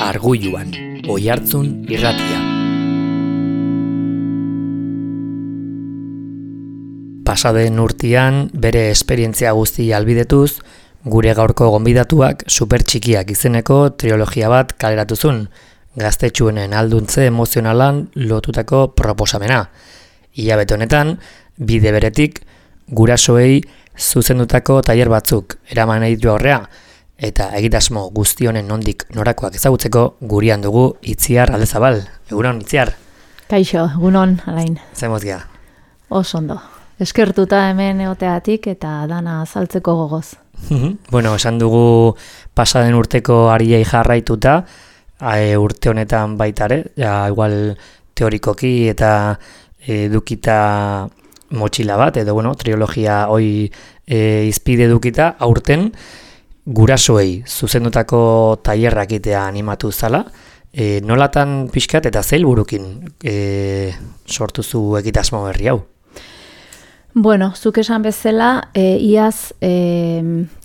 Arguluan, Oihartzun irratia. Pasaden urtean bere esperientzia guztia albidetuz, gure gaurko gonbidatuak super txikiak izeneko trilogia bat kaleratuzun, gaztetxuenen alduntze emozionalan lotutako proposamena. Hilabete honetan, bide beretik, gurasoei zuzendutako tailer batzuk eraman nahi du aurrea, eta egitasmo guzti honen nondik norakoak ezagutzeko gurean dugu Itziar Aldezabal. Egunon, Itziar? Kaixo, egunon, Alain. Zaimoz gea? Oso ondo. Eskertuta hemen egoteatik eta dana azaltzeko gogoz. Bueno, esan dugu pasaden urteko ariei jarraituta, urte honetan baitare, igual teorikoki eta edukita motxila bat, edo trilogia hoi izpide edukita, aurten gurasoei zuzendutako tailerrak egitea animatu zala, nolatan pixkat eta zeil burukin sortuzu egitasmo berri hau? Bueno, zuk esan bezala, iaz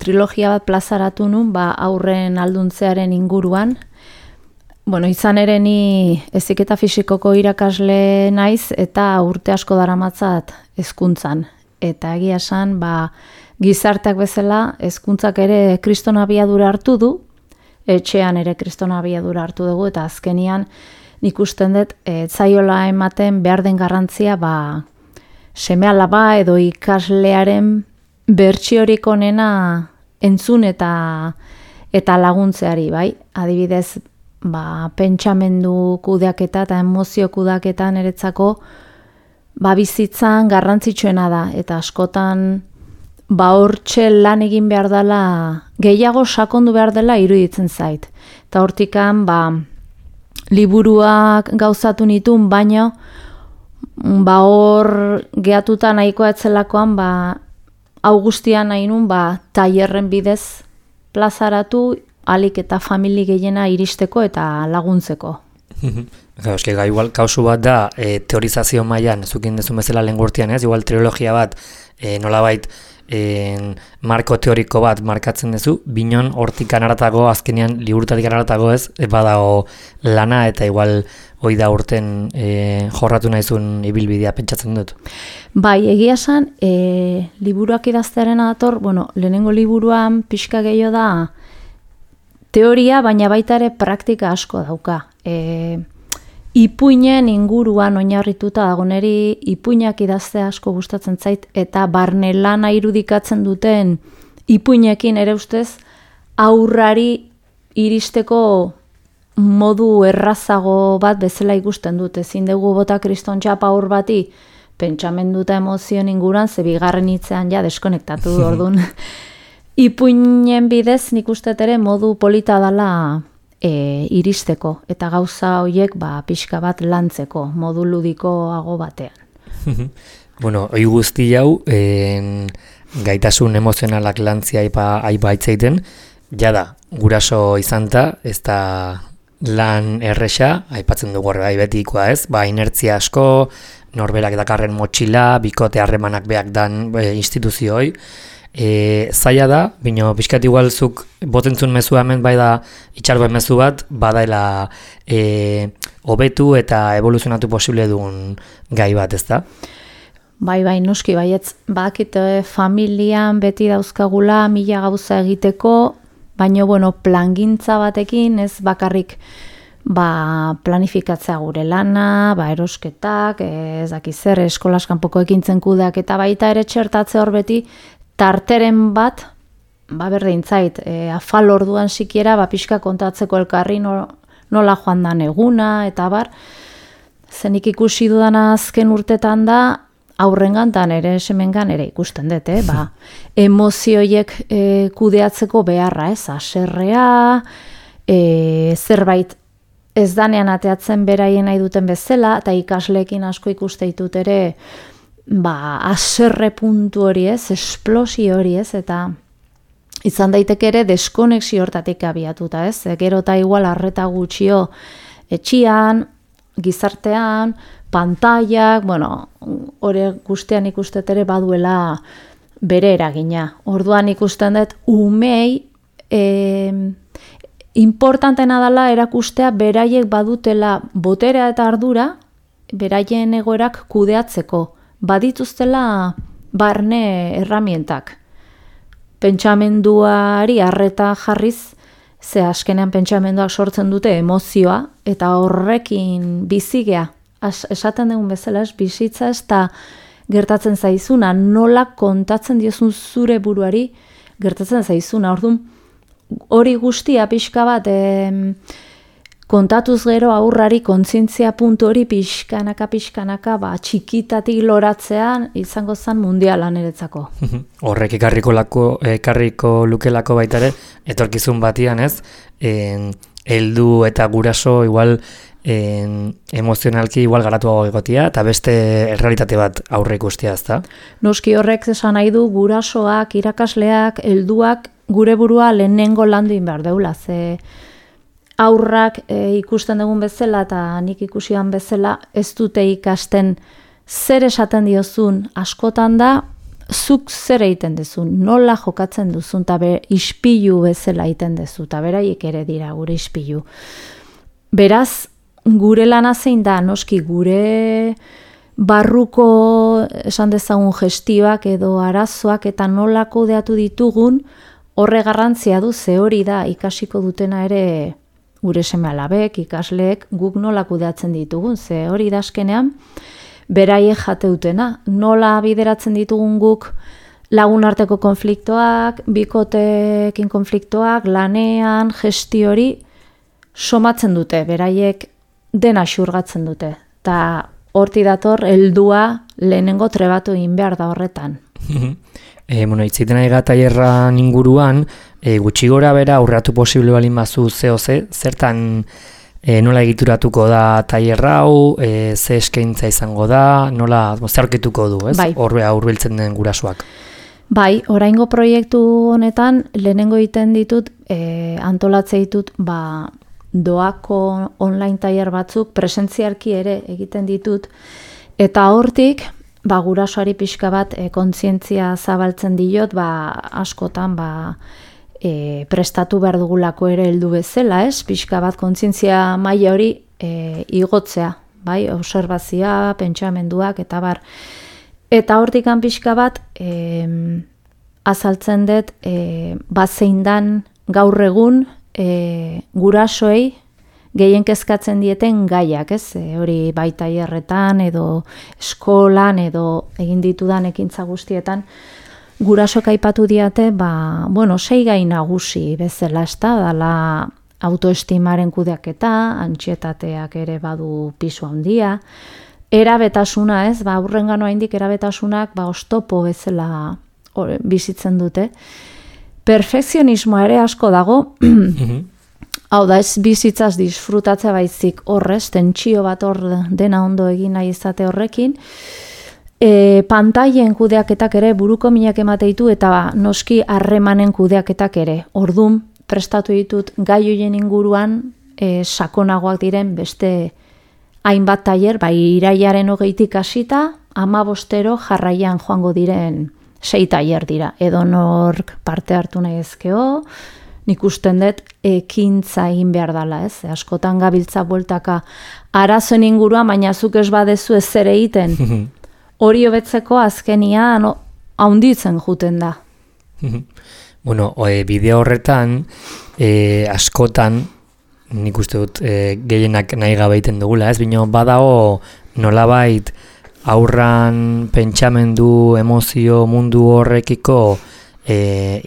trilogia bat plazaratu nun, aurren alduntzearen inguruan. Bueno, izan ere ni heziketa fisikoko irakasle naiz eta urte asko daramatzat hezkuntzan. Eta egia esan, gizarteak bezala, hezkuntzak ere kriston abiadura hartu du, etxean ere kriston abiadura hartu dugu, eta azkenian nik usten dut, zaiola ematen behar den garrantzia, seme-alaba edo ikaslearen bertsiorik onena entzun eta laguntzeari, bai? Adibidez, pentsamendu kudeaketa eta emozio kudeaketa niretzako bizitzan garrantzitsuena da, eta askotan hortxe lan egin behar dela, gehiago sakondu behar dela iruditzen zait. Eta hortikan, liburuak gauzatu nituen, baino, hor gehatuta nahikoa etzelakoan, hau guztian nahi nun, tailerren bidez plazaratu, alik eta famili gehiena iristeko eta laguntzeko. Igual kausu bat da, teorizazio mailan zukin dezun bezala lehen gurtian, ez? Igual trilogia bat, nolabait, marko teoriko bat markatzen duzu, binon hortikan aratago, azkenean liburutatik aratago ez, badago lana eta igual hoi da urten jorratu nahizun ibilbidea pentsatzen dut. Bai, egia esan, liburuak idaztearen dator, lehenengo liburuan pixka gehiago da teoria, baina baita ere praktika asko dauka. Ipuinen inguruan oinarrituta dago, niri ipuinak idaztea asko gustatzen zait, eta barne lana irudikatzen duten ipuinekin ere ustez aurrari iristeko modu errazago bat bezala ikusten dut. Ezin dugu bota kriston txapa aur bati pentsamendu eta emozioen inguruan, ze bigarren hitzean deskonektatu du orduan. Ipuinen bidez nik uste ere modu polita dela iristeko, eta gauza horiek pixka bat lantzeko, modu ludikoago batean. Hoi guzti hau, gaitasun emozionalak lantzia aipa itzaiten, jada, guraso izanta, ez da lan erresa, aipatzen dugu horre betikoa ez, inertzia asko, norberak dakarren motxila, bikote harremanak beak dan instituzioi, zaila da, bino pixkat igualzuk botentzun mezu hemen da itxargoen mezu bat, badaela hobetu eta evoluzionatu posible dugun gai bat, ez da? Bai, noski, baietz, badakit familian beti dauzkagula mila gauza egiteko, baina plangintza batekin, ez bakarrik planifikatzea gure lana, erosketak, ez dakizer, eskolas kanpoko ekintzen kudeak, eta baita ere txertatze hor beti, tarteren bat, berdin zait, afal orduan sikiera, pixka kontatzeko elkarri nola joan dan eguna, eta zenik ikusi dudana azken urtetan da, aurrengan ere semengan ere ikusten dut, emozioiek kudeatzeko beharra, haserrea, zerbait ez danean ateatzen beraien nahi duten bezala, eta ikasleekin asko ikuste ditut ere, haserre puntu hori ez, esplosio hori ez, eta izan daiteke ere deskonexio hortatik abiatuta ez, gero eta igual arreta gutxio etxian, gizartean, pantailak, hori guztian ikustet ere baduela bere eragina. Orduan ikusten dut umei importantena dela erakustea beraiek badutela boterea eta ardura, beraien egoerak kudeatzeko, badituztela barne erramientak. Pentsamenduari arreta jarriz, ze askenean pentsamenduak sortzen dute emozioa, eta horrekin bizigea, esaten dugun bezala, bizitza ez da gertatzen zaizuna, nola kontatzen diozun zure buruari gertatzen zaizuna. Orduan, hori guztia pixka bat kontatuz gero aurrari kontzientzia puntu hori pixkanaka, txikitatik loratzean izango zen mundiala niretzako. Horrek ekarriko lukelako baita ere, etorkizun batian ez, heldu eta guraso igual emozionalki igual garatuago egotia, eta beste errealitate bat aurre ikustia ez da? Noski horrek esan nahi du gurasoak, irakasleak, helduak gure burua lehenengo landu behar deula, ze aurrak ikusten dugun bezala eta nik ikusian bezala ez dute ikasten zer esaten diozun askotan da, zuk zer egiten duzun, nola jokatzen duzun, eta ispilu bezala egiten duzu, eta beraiek ere dira gure ispilu. Beraz, gure lana zein da, noski gure barruko esan dezagun gestioak edo arazoak eta nola kudeatu ditugun, horre garrantzia du, ze hori da ikasiko dutena ere gure seme-alabek, ikasleek, guk nola kudeatzen ditugun, ze hori da azkenean beraiek jate dutena. Nola bideratzen ditugun guk lagun arteko konfliktoak, bikotekin konfliktoak, lanean, gesti hori somatzen dute, beraiek dena xurgatzen dute. Eta horti dator, heldua lehenengo trebatu egin behar da horretan. Itzaiten ari tailerran inguruan, gutxi gora bera aurreratu posible balin bazu ze, zertan nola egituratuko da tailer hau, ze eskaintza izango da, nola zeharkituko du, ez? Bai. Hurbiltzen den gurasoak. Bai, oraingo proiektu honetan lehenengo egiten ditut, antolatze ditut, doako online tailer batzuk, presentzialki ere egiten ditut, eta hortik, gurasoari pixka bat kontzientzia zabaltzen diot, askotan prestatu behar dugulako ere heldu bezala, ez? Pixka bat kontzientzia maila hori igotzea, bai? Obserbazioa, pentsamenduak, eta bar. Eta hortikan pixka bat azaltzen dut zein dan gaur egun gurasoei gehien kezkatzen dieten gaiak, ez? Hori bai tailerretan edo eskolan edo egin ditudan ekintza guztietan gurasok aipatu diate, 6 gai nagusi bezala, ez da, dala autoestimaren kudeaketa, antsietateak ere badu pisu handia, erabetasuna, ez, aurrengano haindik erabetasunak oztopo bezala bizitzen dute. Perfekzionismoa ere asko dago, hau da, ez bizitzaz disfrutatzea baizik horrez, tentsio bat hor dena ondo egin nahi izate horrekin, pantailen kudeaketak ere buruko minak emate ditu eta noski harremanen kudeaketak ere. Ordun prestatu ditut gai hoien inguruan sakonagoak diren beste hainbat tailer, irailaren 20tik hasita 15 jarraian joango diren 6 tailer dira. Edonork parte hartu nahi ezkeo, nik usten dut ekintza egin behar dela, ez? Askotan gabiltza bueltaka arazoen inguruan, baina zuk ez badezu ez zer egiten. Hori hobetzeko azkenian haunditzen juten da. Bueno, bideo horretan, askotan, nik uste dut gehienak nahi gabe egiten dugula, ez? Bino badago nolabait aurran pentsamendu, emozio mundu horrekiko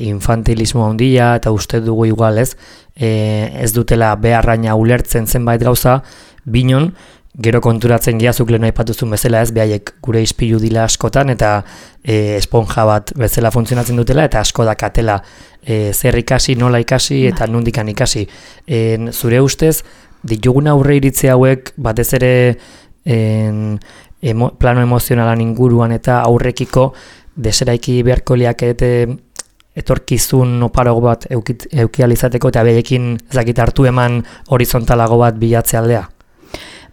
infantilismo handia, eta uste dugu igual, ez? Ez dutela beharraina ulertzen zenbait gauza, binon, gero konturatzen giazuk lehen aipatuzun bezala, ez, behaiek gure ispilu dila askotan, eta esponja bat bezala funtzionatzen dutela, eta asko dakatela zer ikasi, nola ikasi, eta nundikan ikasi. Zure ustez, ditugun aurre iritzi hauek, batez ere plano emozionalan inguruan eta aurrekiko, deseraiki beharko liakete etorkizun oparago bat eukializateko, eta behekin ezakit hartu eman horizontalago bat bilatze aldea?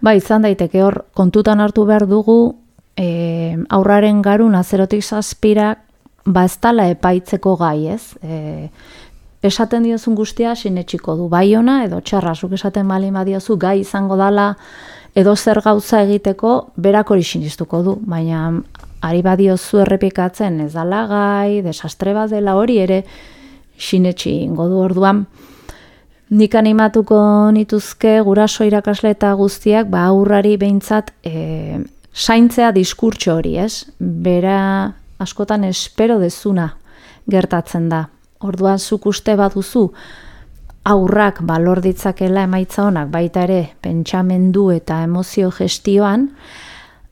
Izan daiteke hor, kontutan hartu behar dugu, aurraren garuna 0-7 ez dala epaitzeko gai, ez? esaten diozun guztia sinetsiko du, bai ona edo txarra, zuk esaten balin badiozu gai izango dala edo zer gauza egiteko, berak hori sinistuko du, baina ari badiozu errepikatzen ez dala gai, desastre bat dela hori ere sinetsi ingo du orduan. Nik animatuko nituzke guraso irakasle eta guztiak aurrari behintzat zaintzea diskurtso hori, ez? Bera askotan espero dezuna gertatzen da. Orduan zuk uste baduzu aurrak balor ditzakela emaitza honak baita ere pentsamendu eta emozio gestioan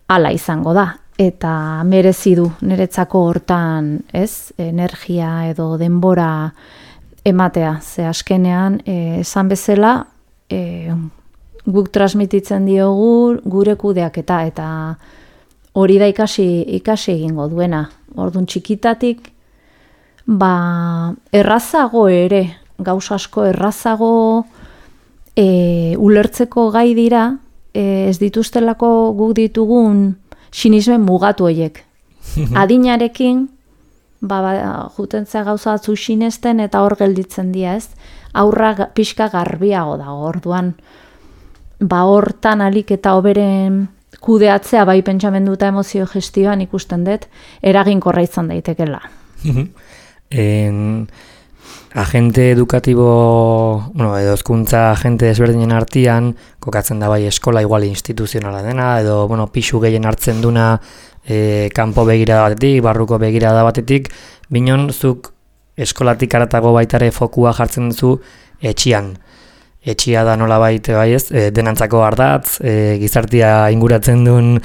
hala izango da. Eta merezi du niretzako hortan, ez? Energia edo denbora ematea, ze askenean, esan bezala, guk transmititzen diogu gure kudeaketa eta hori da ikasi egingo duena. Orduan txikitatik, errazago ere, gauza asko errazago ulertzeko gai dira, ez dituztelako guk ditugun sinismen mugatu horiek. Adinarekin, jutentzea gauza batzu sinesten eta hor gelditzen dira, ez? Aurra pixka garbiago dago, orduan, hortan alik eta hoberen kudeatzea bai pentsamendu eta emozio gestioan ikusten dut, eraginkorra izan daitekela. Agente edukatibo, edo hezkuntza agente desberdinen artean, kokatzen da bai eskola igual instituzionala dena, edo pisu gehien hartzen duna kanpo begirada batetik, barruko begirada batetik, binon zuk eskolatik aratago baitare fokua jartzen duzu etxian. Etxia da nola baita bai ez, denantzako ardatz, gizartia inguratzen duen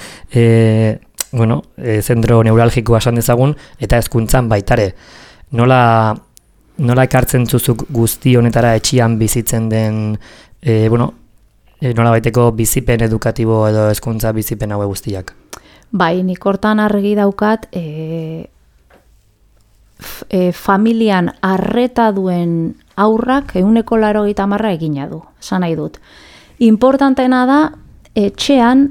zentro neuralgikoa esan dezagun, eta hezkuntzan baitare. Nola ekartzen zuzuk guzti honetara etxian bizitzen den, nola baiteko bizipen edukatibo edo hezkuntza bizipen haue guztiak? Bai, nik hortan argi daukat, familian arreta duen aurrak 180% egina du, esan nahi dut. Importantena da, etxean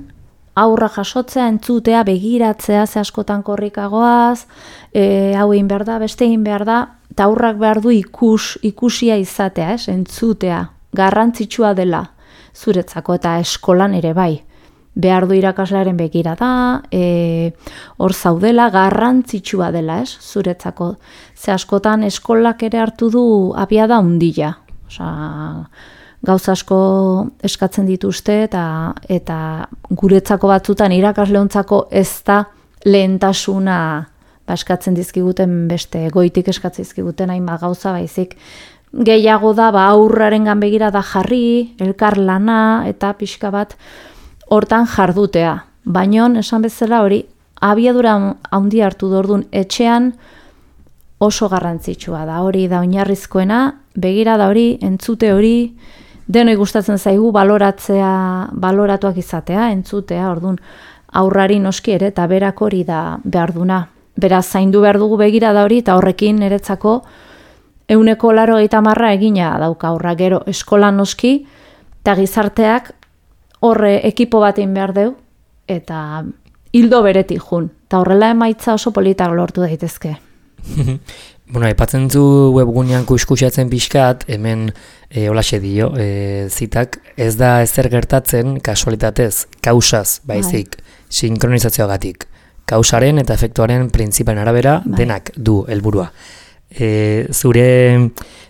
aurra jasotzea, entzutea, begiratzea, ze askotan korrikagoaz, hau egin behar da, beste egin behar da, eta aurrak behar du ikusia izatea, entzutea, garrantzitsua dela zuretzako eta eskolan ere bai. Behar du irakaslearen begira da, hor zaudela, garrantzitsua dela, zuretzako. Ze askotan eskolak ere hartu du abiada handia. Gauza asko eskatzen dituzte eta guretzako batzutan irakasleontzako ez da lehentasuna eskatzen dizkiguten beste goitik eskatzen dizkiguten hainbat gauza baizik. Gehiago da aurrarengan begira da jarri, elkar lana eta pixka bat hortan jardutea. Baina, esan bezala hori, abiadura handi hartu dordun etxean oso garrantzitsua da. Hori da oinarrizkoena, begira da hori, entzute hori, denoi gustatzen zaigu baloratuak izatea, entzutea, ordun aurrari noski ere eta berak hori da behar duna. Beraz, zaindu behar dugu begira da hori eta horrekin niretzako 180% egina dauka aurra gero eskolan noski eta gizarteak horre ekipo batein behar deu, eta hildo beretik jun. Eta horrela emaitza oso politak lortu daitezke. Aipatzen zu webgunean kuskusatzen pixkat, hemen holaxe dio, zitak, ez da ezer gertatzen kasualitatez, kausaz, baizik, sinkronizazioagatik. Kausaren eta efektuaren printzipalen arabera denak du helburua. Zure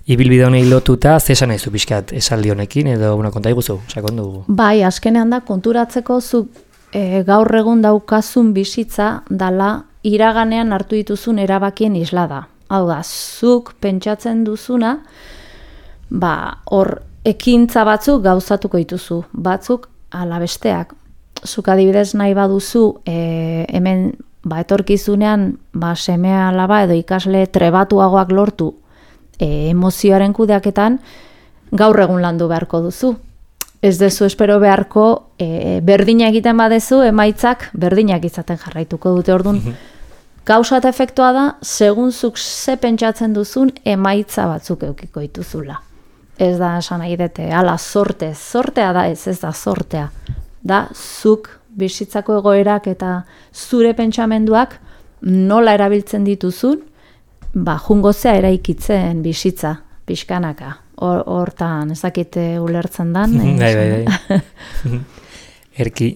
ibilbide honei lotuta, zesan nahi zu pixkat esaldi honekin, edo konta iguzu, sakondu? Bai, askenean da, konturatzeko zu gaur egun daukazun bizitza dala iraganean hartu dituzun erabakien isla da. Hau da, zuk pentsatzen duzuna, hor ekintza batzuk gauzatuko dituzu, batzuk ala besteak. Zuk adibidez nahi baduzu, hemen etorkizunean seme alaba edo ikasle trebatuagoak lortu emozioaren kudeaketan gaur egun landu beharko duzu. Ez dezu espero beharko berdina egiten badezu emaitzak berdinak izaten jarraituko dute ordun. Gauza eta efektua da, segun zuk ze pentsatzen duzun emaitza batzuk eukiko dituzula. Ez da esan nahi dute, ala sortea da ez da sortea. Da zuk bizitzako egoerak eta zure pentsamenduak nola erabiltzen dituzun, jungozea eraikitzen bizitza. pixkanaka. Hortan, ezakite ulertzen dan. Bai. Erki,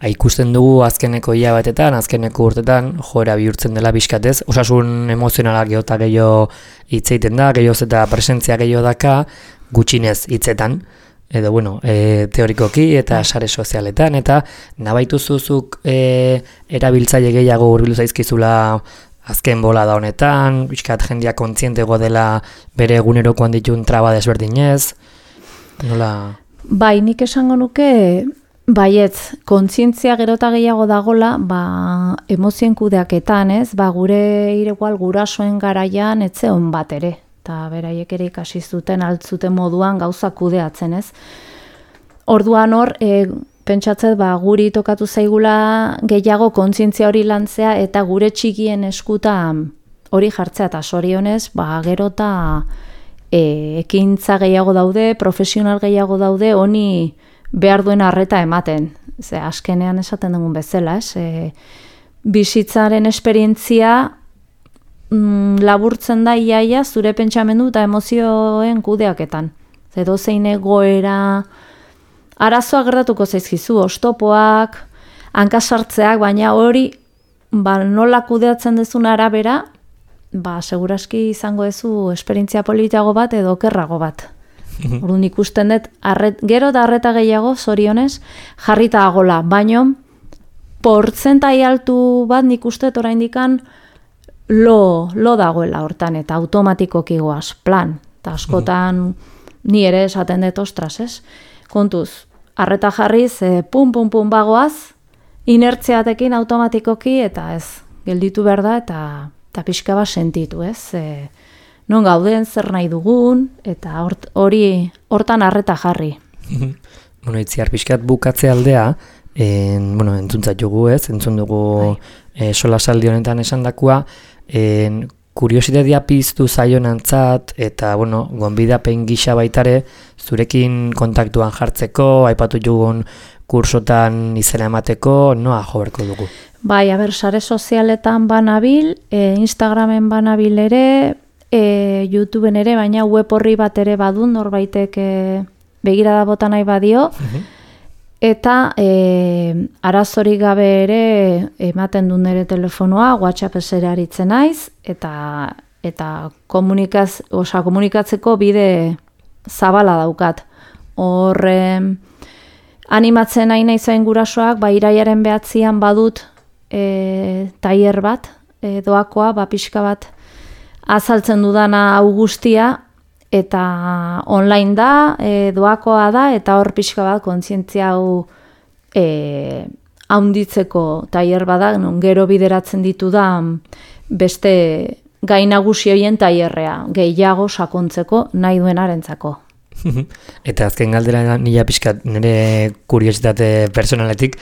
ikusten dugu azkeneko hilabetetan, azkeneko urtetan, joera bihurtzen dela bizkatez, osasun emozionala gehiota gehiago hitz egiten da, gehiagoz eta presentzia gehiago daka, gutxinez hitzetan, edo, teorikoki eta sare sozialetan, eta nabaitu zuzuk erabiltzaile gehiago hurbildu zaizkizula azken bola da honetan, bizkat jendia kontzientego dela bere egunerokoan ditun traba desberdinez, nola... Bai, nik esango nuke, baietz, kontzientzia gerota gehiago dagola, emozien kudeaketan, ez? Gure igual gurasoen garaian etzeon bat ere, eta beraiek ere ikasi zuten altzuten moduan gauza kudeatzen, ez? Orduan hor, pentsatzet, guri tokatu zaigula gehiago kontzientzia hori lantzea eta gure txikien eskuta hori jartzea, eta sorionez, gerota... ekintza gehiago daude, profesional gehiago daude, honi behar duen arreta ematen. Ze askenean esaten dugun bezala, ez? Bizitzaren esperientzia laburtzen da iaia zure pentsamendu eta emozioen kudeaketan. Edo zein egoera arazoa gertatuko zaizkizu, oztopoak, hankasartzeak, baina hori nola kudeatzen dezun arabera, seguraski izango duzu esperientzia politiago bat edo okerrago bat. Orduan ikusten dut, gero da arreta gehiago, zorionez, jarrita agola, baino, portzentai altu bat nik uste oraindikan lo dagoela hortan, eta automatikoki goaz, plan, eta askotan ni ere esaten dut ostras, ez? Kontuz, arreta jarriz, pum bagoaz, inertziatekin automatikoki, eta ez, gelditu behar da, eta pixka bat sentitu, ez? Non gauden, zer nahi dugun, eta hortan arreta jarri. Itziar pixkat bukatze aldea, entzuntzat jugu, ez? Entzun dugu solasaldi honetan esandakua, kuriositatea piztu zaionantzat, eta, gonbidapen gisa baitare, zurekin kontaktuan jartzeko, aipatu jugun kursotan izena emateko, noa jo berko dugu? Bai, sare sozialetan banabil, Instagramen banabil ere, YouTubeen ere, baina web horri bat ere badun, norbaitek begirada bota nahi badio, eta arazorik gabe ere ematen duen ere telefonoa, WhatsApp esera aritzen naiz, eta komunikatzeko bide zabala daukat. Hor, animatzen nahi naizain gurasoak, iraiaren 9an badut tailer bat, doakoa, pixka bat azaltzen dudana hau guztia, eta online da, doakoa da, eta hor pixka bat kontzientzia hau haunditzeko tailer bada, non gero bideratzen ditu da beste gai nagusi horien tailerrea, gehiago sakontzeko nahi duenarentzako. Eta azken galdera nila pixkat nire kuriositate personaletik,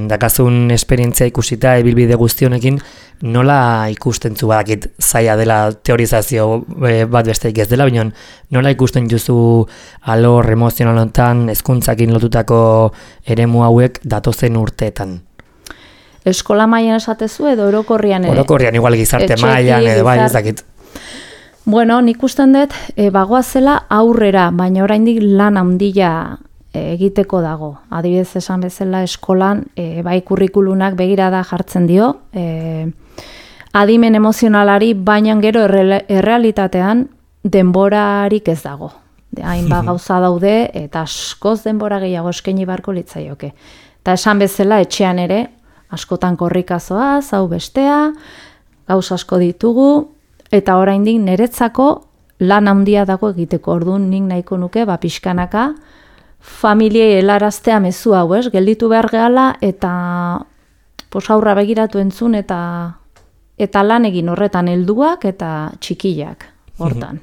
dakazun esperientzia ikusita ebilbide guztionekin, nola ikusten zu badakit zaila dela teorizazio bat besteik ez dela, baina nola ikusten juzu alor emozionalotan hezkuntzakin lotutako eremu hauek datozen urteetan? Eskola mailan esatezu edo orokorrian ere? Orokorrian, igual gizarte mailan edo bai ez dakit. Bueno, nik usten dut bagoazela aurrera, baina oraindik lan handia egiteko dago. Adibidez esan bezala eskolan bai kurrikulunak begirada jartzen dio, adimen emozionalari, baina gero errealitatean denborarik ez dago. Hainbat gauza daude eta askoz denbora gehiago eskaini beharko litzaioke. Eta esan bezala etxean ere askotan korrikazoa, hau bestea, gauza asko ditugu, eta oraindik niretzako lan handia dago egiteko. Orduan nik nahiko nuke pixkanaka familiei helaraztea mezu hau, ez? Gelditu behar gehala eta aurra begiratu entzun eta lan egin horretan helduak eta txikiak hortan.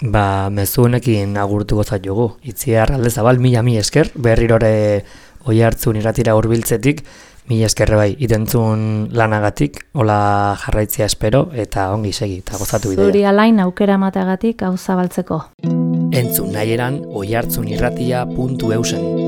Mezu honekin agurtuko zaitugu. Itziar Aldezabal, mila esker, berrirore Oihartzun irratira hurbiltzetik, mila eskerre bai, itentzun lanagatik, hola jarraitzea espero, eta ongi segi, eta gozatu bidea. Zuri alain aukera mateagatik hau zabaltzeko. Entzun nahieran oihartzunirratia.eusen.